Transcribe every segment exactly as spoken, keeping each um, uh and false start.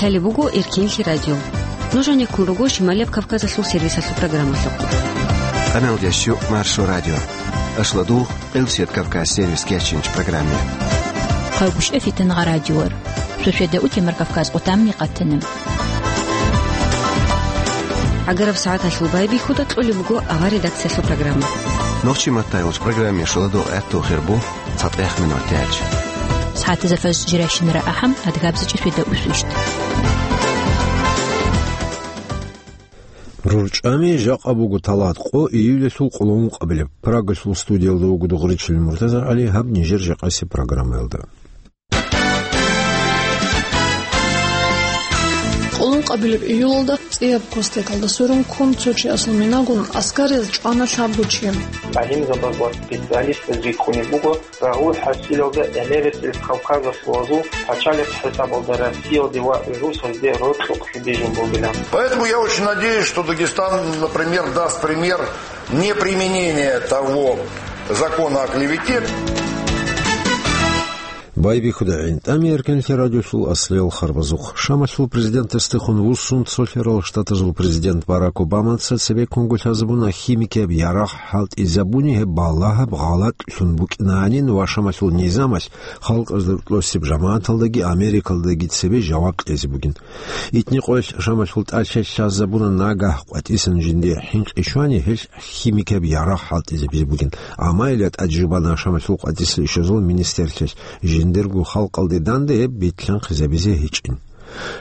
Лъалеб буго Эркенлъи радио. Нуж гӀенеккун руго Шималияб Кавказалъул сервисалъул программалъухъ. Къамел ящу Маршо радио. Ашладу Къилсият Кавказ сервис кечинч программе. Хъавгушев Фитангъа радиор. Шошеда утемар Кавказ къутамни къатанем. ГӀагараб сагӀаталъул байбихьуда кьолеб буго авар редакциялъул программа. Нохчи маттайулч программе шуладу гӀатту хирбу. ЦатӀехъ минут тяч. СагӀатазда фаз жирайщинара ахӀам, адгабзачӀи фида усвищ. РурчӀами жакъа буго талат къо июльалъул къулгьун къабилеб. Прагалъул студиялда вуго Дугъричил МуртазагӀали, гьаб нижер жакъаси программаялда. Къулгьун къабилеб июлалда цӀияб костекалда сверун ккун цо чиясул минагун аскарияз чӀвана лъабго чи. ГӀалимзабаз ва специалистаз рикӀкӀунеб буго, рагъул хӀасилалда Эмеретил Кавказалъулазул пачалихъ хӀисабалда Россиялде ва русазде рокьукъ лъудижун бугилан. Поэтому я очень надеюсь, что Дагестан, например, даст пример неприменения того закона о клевете. Байбихьуда гӀинтӀами Эркенлъи радиолъул аслиял харбазухъ. Шамалъул президентасдехун вуссун цолъарал штатазул президент Барак Обамаца цебеккунго лъазабуна химикияб ярагъ хӀалтӀизабуни гьеб балагьаб гъалатӀлъун букӀинанин ва Шамалъул низамалъ халкъазда рокьосеб жамагӀаталдаги Америкалдаги цебе жаваб кьезе бугин. Итни къоялъ Шамалъул тӀалъи лъазабуна нагагь къватӀисан жиндие хӀинкъи щвани гьелъ химикияб ярагъ хӀалтӀизабизе бугин. Амма гьелда тӀаде жубана Шамалъул къватӀисал ишазул министерлъиялъ жиндирго халкъалде данде гьеб битлъанхъизабизе гьечӀин.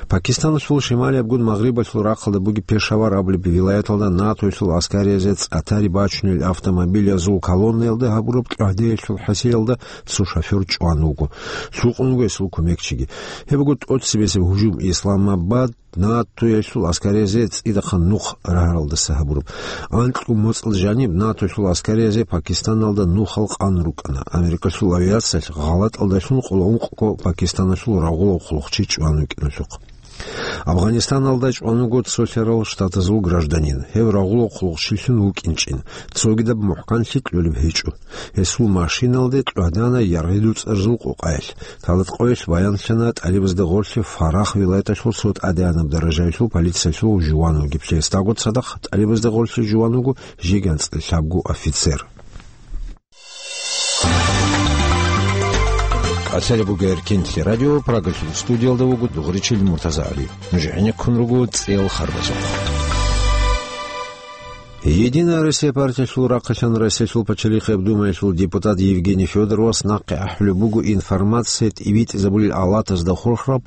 Пакистаналъул шималиябгун магърибалъул рахъалда бугеб Пешавар абулеб вилаяталда НАТОялъул аскариязе цӀатари бачунел автомобилязул колоннаялда гьабураб кьагьдеялъул хӀасилалда цо шофер чӀван вуго. Лъукъун вуго гьесул кумекчиги. Гьеб буго тӀоцебесеб гьужум Исламабад НАТОялъул аскариязе цӀидахъан нух рагьаралдаса гьабураб. Анкьго моцӀалда жаниб НАТОялъул аскариязе Пакистаналда нухал къан рукӀана. Америкалъул авиациялъ гъалатӀалдалъун къулгьун къо Пакистаналъул рагъулав хъулухъчи чӀван вукӀиналъухъ. Афганистаналда чӀван вуго цолъарал штатазул гражданин. Гьев рагъулав хъулухъчилъун вукӀинчӀин, цогидаб мухӀканлъи кьолеб гьечӀо. Гьесул машиналде кьвадана яргъи дуцӀарзул къукъаялъ. Талат къоялъ баянлъана тӀалибазда гъорлъе Фарах вилаяталъул цо тӀадегӀанаб даражаялъул полициялъул жуван вугеблъи. Гьесдаго цадахъ тӀалибазда гъорлъе жуван вуго жеги анцӀила лъабго офицер. КӀалъалеб буго Эркенлъи радио, Прагалъул студиялда вуго Дугъричил МуртазагӀали. Нуж гӀенеккун руго цӀел харбазухъ. Единая Россия партиялъул рахъалъан Россиялъул Пачалихъияб Думаялъул депутат Евгений Федоровас нахъе ахӀулеб буго информация тӀибитӀизабулел алатазда хурхараб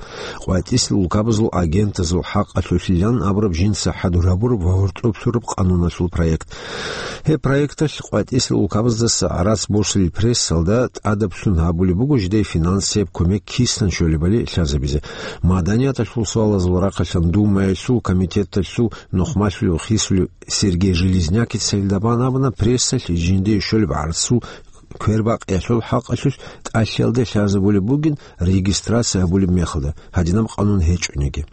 къватӀисел улкабазул агентазул хӀакъалъулъилан абураб жинца хӀадур гьабураб ва гьоркьоб лъураб къануналъул проект. Гьеб проекталъ къватӀисел улкабаздаса гӀарац босулел прессалда тӀадаблъун гьабулеб буго жидее финансияб кумек кисан щолебали лъазабизе. Маданияталъул суалазул рахъалъан Думаялъул комитеталъул нухмалъулев хисулев Сергей Железнякица гьелда бан абуна, прессалъ жиндие щолеб гӀарцул квербакъиялъул хӀакъалъулъ тӀалъиялде лъазабулеб бугин регистрация гьабулеб мехалда, гьадинаб къанун гьечӀониги.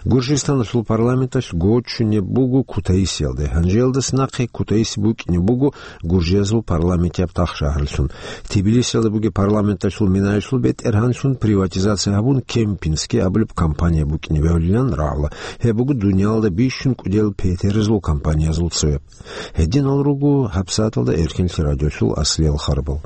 Гуржистаналъул парламенталъ гочунеб буго Кутаисиялде. Гьанжеялдаса нахъе Кутаиси букӀине буго гуржиязул парламентияб тахшагьарлъун. Тбилисиялда бугеб парламенталъул минаялъул бетӀергьанлъун приватизация гьабун, Кемпински абулеб компания букӀине бегьулилан рагӀула. Гьеб буго дуниялалда бищун кӀудиял петерзул компаниязул цояб. Гьединал руго гьабсагӀаталда Эркенлъи радиолъул аслиял харбал.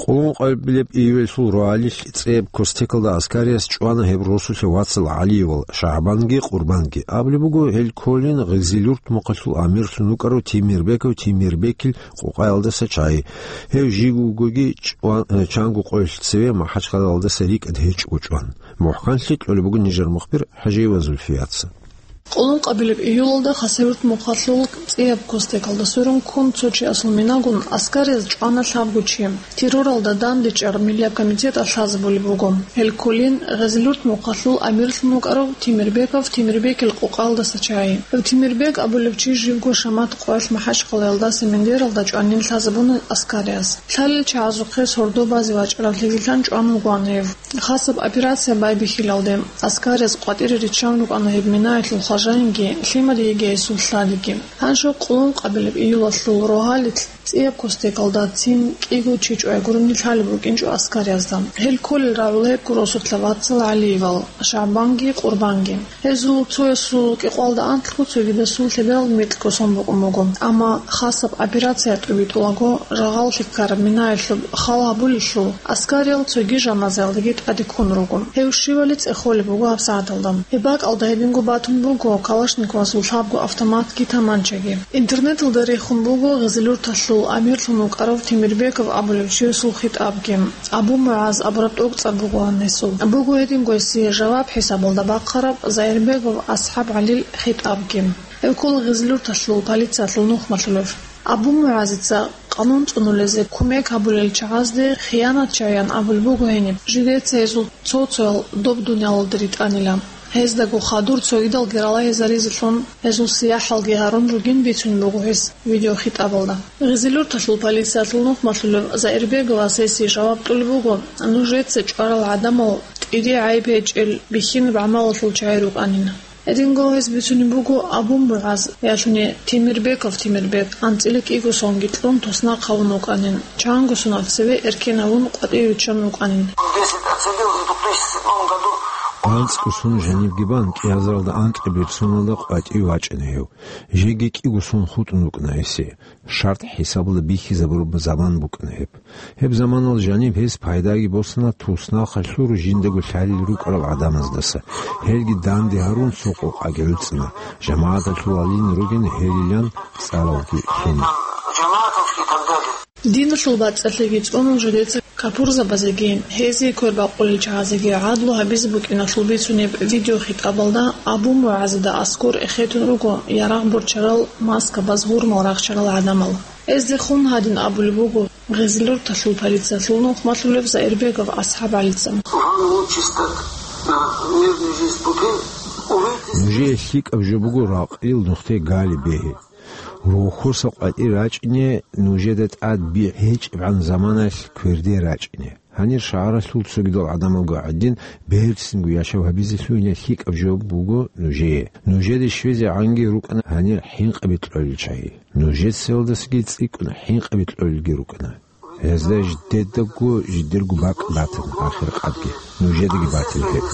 Къулгьун къайбилеб июльалъул рогьалил цӀияб костекалда аскарияс чӀвана гьеб росулъа вацал ГӀалиевал ШагӀбанги Къурбанги. Абулеб буго, гьел кколин Гъизилюрт мухъалъул амирлъун вукӀарав Темирбеков Темирбекил къукъаялдаса чагӀи. Гьев жив вугоги чӀван-, чанго къоялъ цеве МахӀачхъалаялдаса рикӀкӀад гьечӀого чӀван. МухӀканлъи кьолеб буго нижер мухбир ХӀажиева Зульфияца. Къулгьун къабилеб июлалда Хасавюрт мухъалъул цӀияб костекалда сверун ккун цо чиясул минагун аскарияз чӀвана лъабго чи. Терроралда дандечӀар Миллияб комитеталъ лъазабулеб буго. Гьел кколин Гъизилюрт мухъалъул амирлъун вукӀарав Темирбеков Темирбекил къукъаялдаса чагӀи. Гьев Темирбек абулев чи живго шамат къоялъ МахӀачхъалаялдаса Мендералда чӀванин лъазабуна аскарияз. Лъалел чагӀазухъе сордо базе вачӀарав лъигилъан чӀван вугоан гьев. Хасаб операция байбихьилалде, аскарияз къватӀире риччан рукӀана гьеб минаялъул хважаинги, лъимади йигейсул лъадиги. Гьанже къулгьун къабилеб июлалъул рогьалил ЦӀияб костекалда цин кӀиго чи чӀвай гурони лъалеб букӀинчӀо аскариязда. Гьел кколел рагӀула гьеб гуросухъла вацал ГӀалиевал, ШагӀбанги Къурбанги. Гьезул цоясул кӀикъвалда анкьго цогидасул лъеберал микьго сон букӀун буго, амма хасаб операция тӀубитӀулаго, жагъаллъи ккараб минаялъуб хал гьабулелъул, аскариял цоги жаназаялдаги тӀаде ккун руго. Гьев щивали цӀехолеб буго гьабсагӀаталда. Гьеб бакӀалда гьединго батун буго калашниковасул лъабго автоматги таманчаги. Интернеталда рехун буго гъезилурталъул амирлъун вукӀарав Темирбеков абулев чиясул хитӀабги. Абу МугӀаз абураб тӀокӀцӀар бугоан гьесул. Буго гьединго гьесие жаваб хӀисабалда бахъараб Заирбегов АсхӀаб ГӀалил хитӀабги. Гьев ккола гъезилурталъул полициялъул нухмалъулев. Абу МугӀазица къанун цӀунулезе кумек гьабулел чагӀазде хиянатчагӀаян абулеб буго гьениб, жидеца гьезул цо-цоял доб дуниялалде ритӀанила. Гьездаго хадур цогидалги ралагьизаризелъун гьезул сияхӀалги гьарун ругин бицунеб буго гьес видеохитӀабалда. Гъезилурталъул полициялъул нухмалъулев Заирбеговас гьесие жаваб кьулеб буго, нужеца чӀварал гӀадамал тӀире гӀайиб гьечӀел бихьинаб гӀамалалъул чагӀи рукӀанин. Гьединго гьес бицунеб буго Абу МугӀаз, ялъуни Темирбеков Темирбек, анцӀила кӀиго сонги кьун туснахъ гьавун вукӀанин, чанго соналъ цеве эркен гьавун къватӀиве виччан вукӀанин. АнцӀго сон жанибги бан, кӀиазаралда анкьабилеб соналда къватӀиве вачӀана гьев. Жеги кӀиго сон хутӀун вукӀана гьесие. ШартӀ хӀисабалда бихьизабураб заман букӀана гьеб. Гьеб заманалда жаниб гьес пайдаги босана туснахъалъур жиндаго лъалел рукӀарал гӀадамаздаса. Гьелги данде гьарун цо къокъаги гӀуцӀана, жамагӀаталъул гьалин ругин гьелилан цӀаралги лъуна. Диналъул бацӀцӀалъиги цӀунун жидеца капурзабазеги, гьезие квер бакъулел чагӀазеги гӀадлу гьабизе букӀиналъул бицунеб видеохитӀабалда Абу МугӀазида аскӀор эхетун руго ярагъ борчарал, маскабаз, гьурмал рахчарал гӀадамал. Гьезде хун гьадин абулеб буго гъезилурталъул полициялъул нухмалъулев Заирбегов АсхӀаб ГӀалица. Вам лучше стать на мирную жизнь пути, увидите. Нужее лъикӀаб жо буго ракъил нухде гали бегьи. Рохьоса къватӀир рачӀине, нужеда тӀад бигӀ гьечӀебгӀан заманалъ кверде рачӀине. Гьанир шагьаралъул цогидал гӀадамалго гӀадин, берцинго яшав гьабизе лъугьине лъикӀаб жо буго нужее. Нужеде щвезегӀанги рукӀана гьанир хӀинкъаби кьолел чагӀи. Нужецаялдасаги цӀикӀкӀун хӀинкъаби кьолелги рукӀана. Гьезда жидедаго жидерго бакӀ батана, ахиркъадги нужедаги батила гьеб.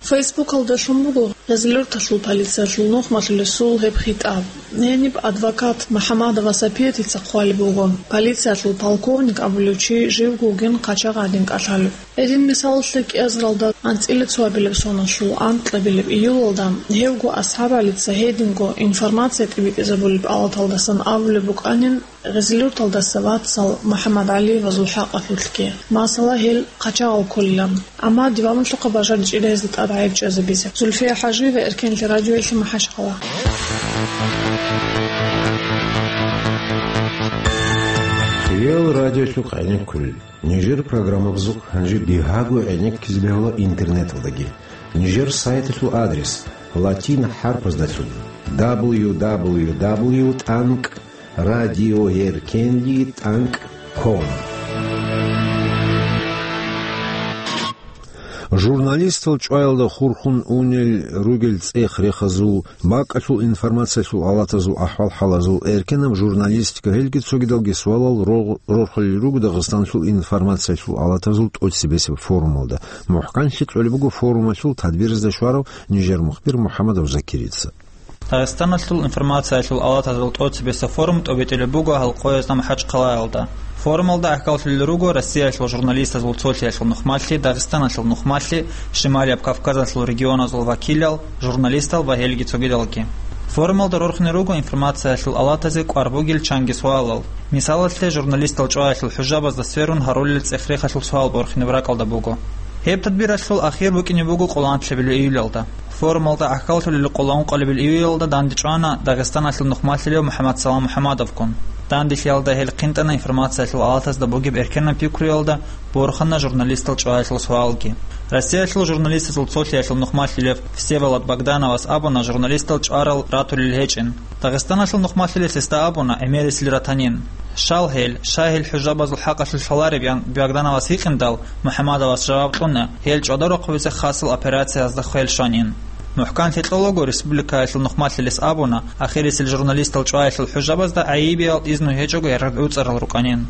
Фейсбукалда лъун буго гъезилурталъул полициялъул нухмалъулесул гьеб хитӀаб. Гьениб адвокат МухӀамадова Сапиятица хъвалеб буго, полициялъул полковник абулев чи живго вугин, къачагъ гӀадин кӀалъалев. Гьедин мисалалъе, кӀиазаралда анцӀила цоабилеб соналъул анкьабилеб июлалда гьевго АсхӀаб ГӀалица гьединго информация тӀибитӀизабулеб алаталдасан абулеб букӀанин, гъезилурталдаса вацал МухӀаммад ГӀалиевазул хӀакъалъулъги, масала, гьел къачагъал кколилан. Амма диваналъухъа бажаричӀила гьезда тӀад гӀайиб чӀвазабизе. Зульфия ХӀажиева, Эркенлъи радиоялъе, МахӀачхъала. Хиял радиолъухъ гӀенеккулел. Нижер программабазухъ гьанже бигьаго гӀенеккизе бегьула интернеталдаги. Нижер сайталъул адрес латин хӀарпаздалъун: дабл ю дабл ю дабл ю тӀанкӀ радиоэркенли тӀанкӀ ком. Журналистал чӀваялда хурхун унел ругел цӀех-рехазул, бакӀалъул информациялъул алатазул ахӀвал-хӀалазул, эркенаб журналистика, гьелги цогидалги суалал рогъ-, рорхулел руго Дагъистаналъул информациялъул алатазул тӀоцебесеб форумалда. МухӀканлъи кьолеб буго форумалъул тадбирзда щварав нижер мухбир МухӀаммадов Закирица. Дагъистаналъул информациялъул алатазул тӀоцебесеб форум тӀобитӀулеб буго гьал къоязда МахӀачхъалаялда. Форумалда гӀахьаллъулел руго Россиялъул журналистазул цолъиялъул нухмалъи, Дагъистаналъул нухмалъи, Шималияб Кавказалъул регионазул вакилал, журналистал ва гьелги цогидалги. Форумалда рорхине руго информациялъул алатазе кӀвар бугел чанги суалал. Мисалалъе, журналистал чӀваялъул хӀужабазда сверун гьарулел цӀех-рехалъул суал борхинеб ракӀалда буго. Гьеб тадбиралъул ахир букӀине буго къоло анлъабилеб июлалда. Форумалда гӀахьаллъулел къоло ункъабилеб июлалда дандчӀвана Дагъистаналъул нухмалъилев МухӀаммадсалам МухӀаммадовгун. Данделъиялда гьел хъинтӀана информациялъул алатазда бугеб эркенаб пикруялда, борхана журналистал чӀваялъул суалги. Россиялъул журналистазул цолъиялъул нухмалъилев Всеволод Богдановас абуна журналистал чӀварал ратулел гьечӀин. Дагъистаналъул нухмалъилев гьесда абуна гӀемерисел ратанин. Щал гьел, щай гьел хӀужабазул хӀакъалъулъ лъалареб, ян Богдановас гьикъиндал, МухӀаммадовас жаваб кьуна, гьел чӀвадарухъ бугеб хасал операциязда хвел щванин. МухӀканлъи кьолаго республикаялъул нухмалъилес абуна, ахирисел журналистал чӀваялъул хӀужабазда гӀайибиял изну гьечӀого яргъад гӀуцӀарал рукӀанин.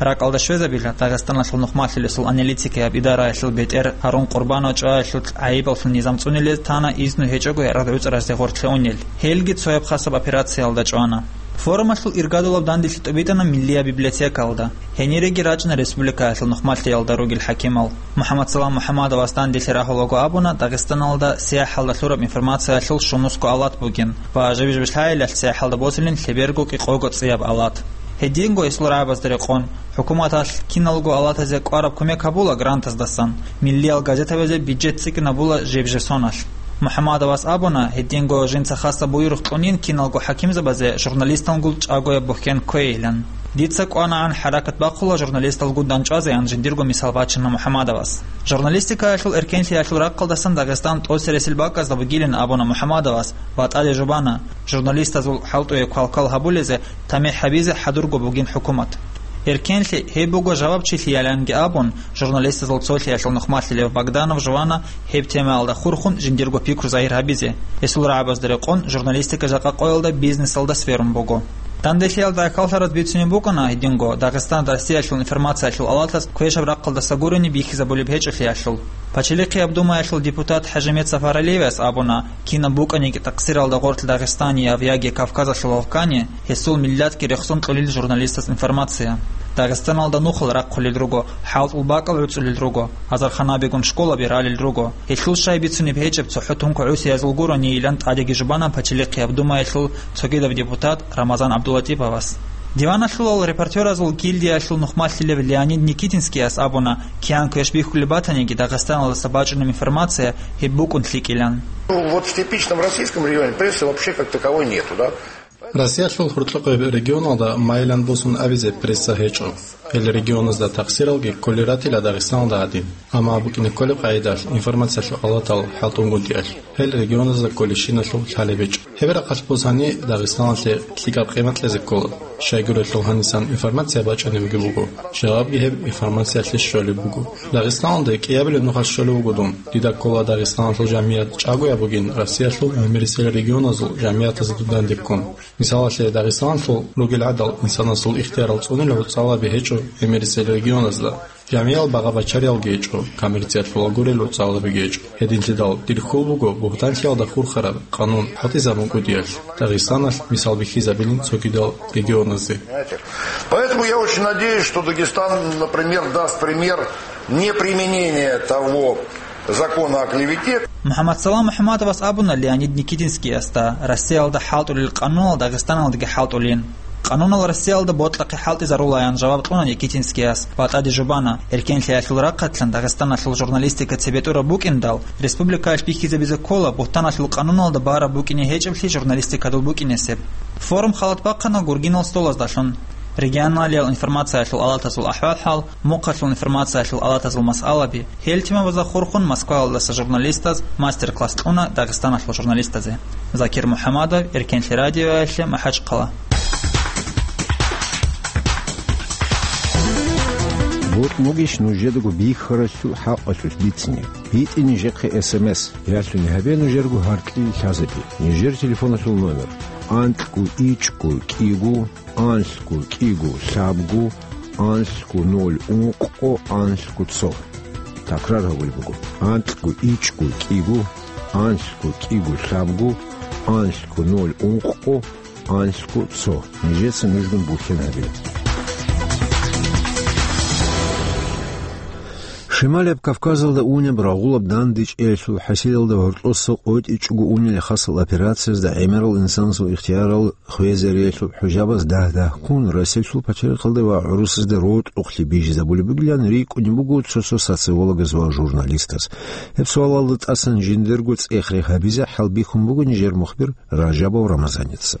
РакӀалда щвезабила, Дагъистаналъул нухмалъилесул аналитикияб идараялъул бетӀер Гьарун Къурбанов чӀваялъул гӀайибаллъун низам цӀунилез тана изну гьечӀого яргъад гӀуцӀаразде гъорлъе унел. Гьелги цояб хасаб операциялда чӀвана. Форумалъул иргадулаб данделъи тӀубитӀана Миллияб библиотекаялда. Гьениреги рачӀана республикаялъул нухмалъиялда ругел хӀакимал. МухӀаммадсалам МухӀаммадовас данделъи рагьулаго абуна Дагъистаналда сияхӀалда лъураб информациялъул щунусго алат бугин ва жиб-жиб лъагӀалилъ сияхӀалда босилин лъеберго кӀикъого цӀияб алат. Гьединго гьесул рагӀабазда рекъон, хӀукуматалъ киналго алатазе кӀвараб кумек гьабула грантаздасан, миллиял газетабазе бюджет цӀикӀкӀинабула жеб-жеб соналъ. МухӀаммадовас абуна, гьединго жинца хасаб буюрухъ кьунин киналго хӀакимзабазе журналисталгун чӀагояб бухьен кквейилан. Дица кӀванагӀан хӀаракат бахъула журналисталгун дандчӀвазеян, жиндирго мисал бачана МухӀаммадовас. Журналистикаялъул эркенлъиялъул рахъалдасан Дагъистан тӀоцересел бакӀазда бугилин абуна МухӀаммадовас ва тӀаде жубана, журналистазул хӀалтӀуе квалквал гьабулезе тамихӀ гьабизе хӀадурго бугин хӀукумат. Эркенлъи гьеб буго жавабчилъияланги абун, журналистазул цолъиялъул нухмалъилев Богданов жувана гьеб темаялда хурхун жиндирго пикру загьир гьабизе. Гьесул рагӀабазда рекъон, журналистика жакъа къоялда бизнесалда сверун буго. Данделъиялда гӀахьаллъараз бицунеб букӀана гьединго, Дагъистан Россиялъул информациялъул алатас квешаб рахъалдаса гурони бихьизабулеб гьечӀолъиялъул. Пачалихъияб Думаялъул депутат ХӀажимет Сафаралиевас абуна, кинаб букӀаниги такъсиралда гъорлъ Дагъистанияб яги Кавказалъул гьавкани, гьесул миллатги рехсон кьолел журналистаз информация. Дагъистаналда нухал рахъулел руго, хӀалтӀул бакӀал гӀуцӀулел руго, азарханабигун школаби ралел руго. Гьелъул щай бицунеб гьечӀеб цохӀо тункӀ гӀусиязул гуронийилан тӀадеги жубана Пачалихъияб Думаялъул цогидаб депутат Рамазан ГӀабдуллатӀиповас. Диваналъулал репортеразул гильдиялъул нухмалъилев Леонид Никитинскияс абуна, киян квеш бихьулеб батаниги Дагъистаналдаса бачӀунеб информация гьеб букӀун лъикӀилан. Ну, вот в типичном российском регионе прессы вообще как таковой нету, да? Россиялъул гьоркьохъеб регионалда майилан босун абизе пресса гьечӀо. Гьел регионазда такъсиралги кколел ратила Дагъистаналда гӀадин. Амма букӀине кколеб къагӀидалъ информациялъул алатал хӀалтӀунгутӀиялъ гьел регионазда кколебщиналъул лъалеб гьечӀо. Гьеб рахъалъ босани, Дагъистаналъе лъикӀаб къимат кьезе ккола. Щайгурелъул гьанисан информация бачӀунебги буго. Жавабги гьеб информациялъе щолеб буго. Дагъистаналде кӀиабилеб нухалъ щолеб буго дун. Дида ккола Дагъистаналъул жамият чӀагояб бугин Россиялъул гӀемерисел регионазул жамиятазда дандеккун. Мисалалъе, Дагъистаналъул ругел гӀадал инсанасул ихтиярал цӀунил гӀуцӀалаби гьечӀо гӀемерисел регионазда. Жамиял багъа-бачариялги гьечӀо, коммерциялъула гурел гӀуцӀалабиги гьечӀо. Гьединлъидал дир хьул буго бугьтанлъиялда хурхараб къанун хӀалтӀизабун кӀудиялъ, Дагъистаналъ мисал бихьизабилин цогидал регионазде. Поэтому я очень надеюсь, что Дагестан, например, даст пример неприменения того закона о клевете. МухӀаммадсалам МухӀаммадовас абуна Леонид Никитинскиясда, Россиялда хӀалтӀулел къанунал Дагъистаналдаги хӀалтӀулин. Къанунал Россиялда бокьахъе хӀалтӀизарулаян жаваб кьуна Никитинскияс ва тӀаде жубана, эркенлъиялъул рахъалъан Дагъистаналъул журналистика цебетӀураб букӀиндал, республикаялъ бихьизабизе ккола бугьтаналъул къануналда бараб букӀине гьечӀеблъи журналистикадул букӀинесеб. Форум халат бахъана гургинал столаздалъун. Регионалиял информациялъул алатазул ахӀвал-хӀал, мухъалъул информациялъул алатазул масъалаби, гьел темабазда хурхун Москваялдаса журналистаз мастер-класс кьуна Дагъистаналъул журналистазе. Закир МухӀаммадов, Эркенлъи радиоялъе, МахӀачхъала. Бокьугищ нужедаго бихьаралъул хӀакъалъулъ бицине? БитӀе нижехъе эс эм эс, ялъуни гьабе нужерго гьаркьил лъазабе. Нижер телефоналъул номер: анкьго ичӀго кӀиго, анлъго кӀиго лъабго, анлъго ноль ункъго, анлъго цо. Такрар гьабулеб буго: анкьго ичӀго кӀиго, анлъго кӀиго лъабго, анлъго ноль ункъго, анлъго цо. Нижеца нужгун бухьен гьабе. Шималияб Кавказалда унеб рагъулаб дандечӀеялъул хӀасилалда гьоркьоса къотӀичӀого унел хасал операциязда гӀемерал инсанасул ихтиярал хвезариялъул хӀужабаз дагь-дагьккун Россиялъул пачалихъалда ва гӀурусазда рокьухълъи бижизабулеб бугилан рикӀкӀунеб буго цо-цо социологаз ва журналистаз. Гьеб суалалда тӀасан жиндирго цӀех-рех гьабизе хӀалбихьун буго нижер мухбир Ражабов Рамазаница.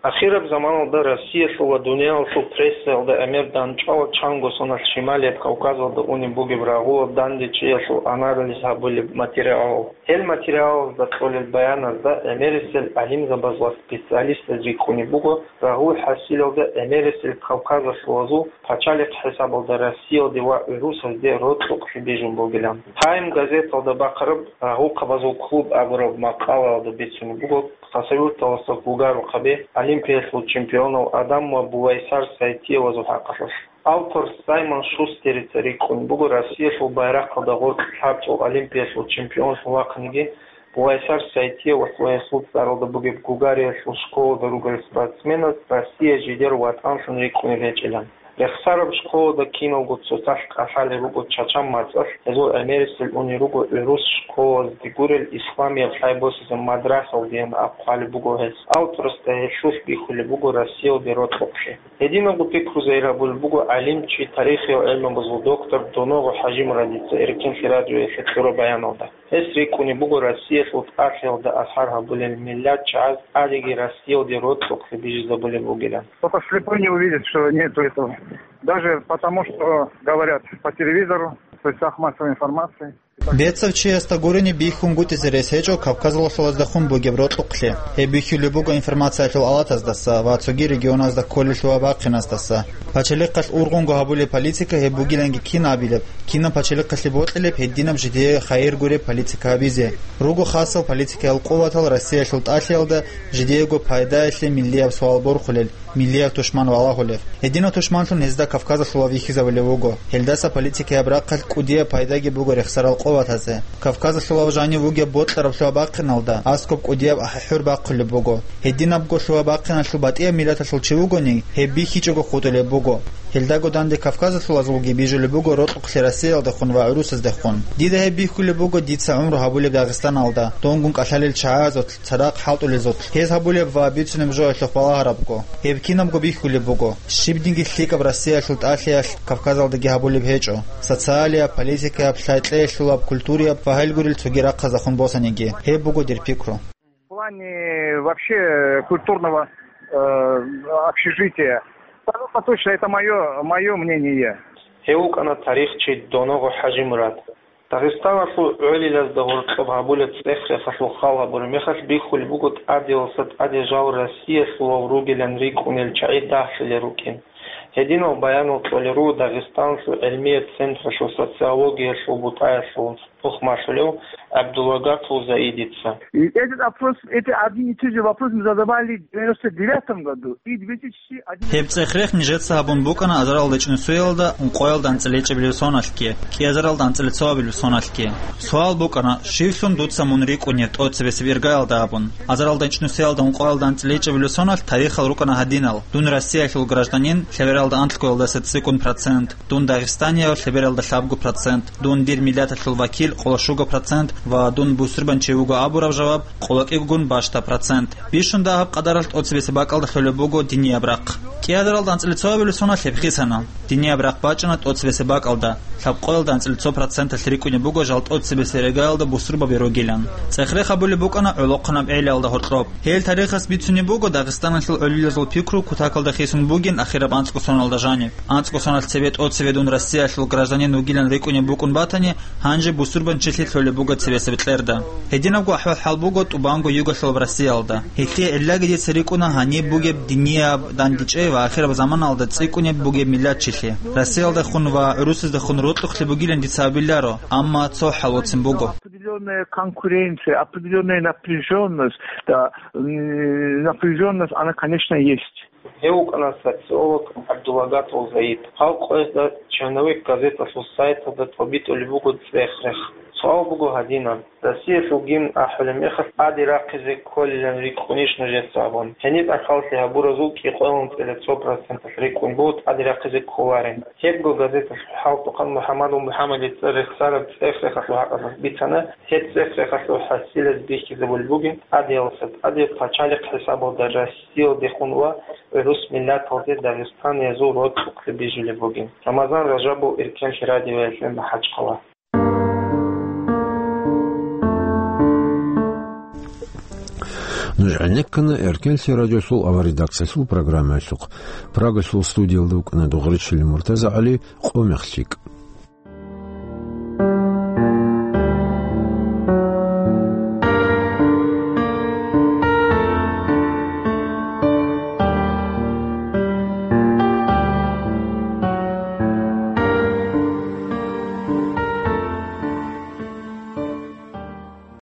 Ахираб заманалда Россиялъул ва дуниялалъул прессаялда гӀемер дандчӀвала чанго соналъ Шималияб Кавказалда унеб бугеб рагъулаб дандечӀеялъул анализ гьабулеб материалал. Гьел материалазда кьолел баяназда гӀемерисел гӀалимзабаз ва специалистаз рикӀкӀунеб буго, рагъул хӀасилалда гӀемерисел кавказалъулазул пачалихъ хӀисабалда Россиялде ва гӀурусазде рокьукълъи бижун бугилан. Time газеталда бахъараб «Рагъухъабазул клуб» абураб макъалаялда бицунеб буго, Хасавюрталаса Гугарухъаби олимпиялъул чемпионал Адам ва Бувайсар Сайтиевазул хӀакъалъулъ. Автор Саймон Шустерица рикӀкӀун буго Россиялъул байрахъалда гъоркь лъабцӀул олимпиялъул чемпионлъун вахъиниги, Бувайсар Сайтиевас ва гьесул цӀаралда бугеб Гугариялъул школалда ругел спортсменаз Россия жидер ватӀанлъун рикӀкӀунеб гьечӀилан. Рехсараб школалда киналго цоцалъ кӀалъалел руго Чачан мацӀалъ, гьезул гӀемерисел унел руго гӀурус школазде гурел исламияб лъай босизе мадрасалдеян аб хъвалеб буго гьес. Авторасда гьелъулъ бихьулеб буго Россиялде рокьукълъи. Гьединабго пикру загьир гьабулеб буго гӀалимчи, тарихиял гӀелмабазул доктор Доногъо ХӀажимурадица Эркин радиоялъе кьураб баяналда. Гьес рикӀкӀунеб буго Россиялъул тӀалъиялда асар гьабулел миллат чагӀаз тӀадеги Россиялде рокьукълъи бижизабулеб бугилан. Кто-то слепой не увидит, что нету этого. Даже потому, что говорят по телевизору, в средствах массовой информации. Бецав чиясда гурони бихьунгутӀизе рес гьечӀо Кавказалъулаздехун бугеб рокьукълъи. Гьеб бихьулеб буго информациялъул алатаздаса ва цоги регионазда кколелъул бахъиназдаса. Пачалихъалъ ургъунго гьабулеб политика гьеб бугиланги кин абилеб, кинаб пачалихъалъе бокьилеб гьединаб жидее хайир гуреб политика гьабизе. Руго хасал политикаял къуватал Россиялъул тӀалъиялда жидеего пайдаялъе миллияб суал борхулел, миллияб тушман валагьулеб. Гьединаб тушманлъун гьезда Кавказалъулав вихьизавулев вуго. Гьелдаса политикаяб рахъалъ кӀудияб пайдаги буго рехсарал къуватазе. Кавказалъулав жанив вугеб бокьараблъугьа бахъиналда аскӀоб кӀудияб ахӀи-хӀур бахъулеб буго. Гьединабголъугьа бахъиналъул батӀияб миллаталъул чи вугони, гьеб бихьичӀого хутӀулеб буго. Гьелдаго данде Кавказалъулазулги бижулеб буго рокьукълъи Россиялдехун ва гӀурусаздехун. Дида гьеб бихьулеб буго дица гӀумру гьабулеб Дагъистаналда, дунгун кӀалъалел чагӀазулъ, цадахъ хӀалтӀулезулъ, гьез гьабулеб ва бицунеб жоялъухъ балагьарабго. Гьеб кинабго бихьулеб буго. Щибдинги лъикӀаб Россиялъул тӀалъиялъ Кавказалдаги гьабулеб гьечӀо. Социалияб, политикаяб, лъай-кьеялъулаб, культурияб ва гьел гурел цоги рахъазахун босаниги. Гьеб буго дир пикру. В плане вообще культурного, э, общежития. Абсолютно точно, это моё, моё мнение. Гьев вукӀана тарихчи Доногъо ХӀажимурад. Дагъистаналъул гӀолилазда гьоркьоб гьабулеб цӀех-рехалъул хал гьабураб мехалъ бихьулеб буго тӀадеялдаса тӀаде жал Россиялъулав ругилан рикӀкӀунел чагӀи дагьлъулел рукӀин. Гьединал баянал кьолел руго Дагъистаналъул гӀилмияб централъул социологиялъул бутӀаялъул тухмалъулев ГӀабдулагатул Заидица. И этот вопрос, это один и тот же вопрос мы задавали в девяносто девятом году и две тысячи Гьеб цӀех-рех нижеца гьабун букӀана азаралда чӀунусиялда ункъоялда анцӀила гьечӀебилеб соналъги, кӀиазаралда анцӀила цоабилеб соналъги. Суал букӀана, щивлъун дуца мун рикӀкӀунеб тӀоцебесеб иргаялда абун? Азаралда чӀунусиялда ункъоялда анцӀила гьечӀебилеб соналъ тарихал рукӀана гьадинал: дун Россиялъул гражданин, лъебералда анлъгоялдаса цӀикӀкӀун процент, дун дагъистанияв, лъебералда лъабго процент, дун дир миллаталъул вакил, къоло щуго процент, ва дун бусурбанчи вуго абураб жаваб, къоло кӀигогун бащда процент. Бищун дагьаб къадаралъ тӀоцебесеб бакӀалда лъолеб буго динияб рахъ. КӀиазаралда анцӀила цоабилеб соналъ гьеб хисана. Динияб рахъ бачӀана тӀоцебесеб бакӀалда, лъабкъоялда анцӀила цо проценталъ рикӀкӀунеб буго жал тӀоцебесеб иргаялда бусурбаби ругилан. ЦӀех-рех гьабулеб букӀана гӀолохъанаб гӀелиялда гьоркьоб. Гьел тарихас бицунеб буго Дагъистаналъул гӀолилазул пикру кутакалда хисун бугин ахираб анцӀго соналда жаниб. АнцӀго соналъ цебе тӀоцеве дун Россиялъул гражданин вугилан рикӀкӀунеб букӀун батани, гьанже бусурбанчилъи лъолеб буго цебесеб кьерда. Гьединабго ахӀвал-хӀал буго тӀубанго югалъулаб Россиялда. Гьелъие гӀиллаги дица рикӀкӀуна гьаниб бугеб динияб дандечӀей ва ахираб заманалда цӀикӀкӀунеб бугеб миллатчилъи. Россиялдехун ва гӀурусаздехун рокьукълъи бугилан дица абиларо, амма цо хӀалоцин буго. Определённая конкуренция, определённая напряжённость, да, м, напряжённость, она, конечно, есть. Гьев вукӀана социолог ГӀабдулагатул Заид. Гьал къоязда «Черновик» газеталъул сайталда тӀобитӀулеб буго цӀех-рех. Суал буго гьадинаб: Россиялъул гимн ахӀулеб мехалъ тӀаде рахъизе кколилан рикӀкӀунищ нужеца абун? Гьениб ахӀаллъи гьабуразул кӀикъоялда анцӀила цо проценталъ рикӀкӀун буго тӀаде рахъизе кколарин. Гьебго газеталъул хӀалтӀухъан МухӀаммадул МухӀаммадица рехсараб цӀех-рехалъул хӀакъалъулъ бицана, гьеб цӀех-рехалъул хӀасилаз бихьизабулеб бугин тӀадеялдаса тӀаде пачалихъ хӀисабалда Россиялдехун ва гӀурус миллаталде дагъистаниязул рокьукълъи бижулеб бугин. Рамазан Ражабов, Эркенлъи радиоялъе, МахӀачхъала. Нуж гӀенеккана Эркенлъи радиосул аварредакциялъул программаялъухъ. Прагалъул студиялда вукӀана Дугъричилин МуртазагӀали, «Къо мехлъи».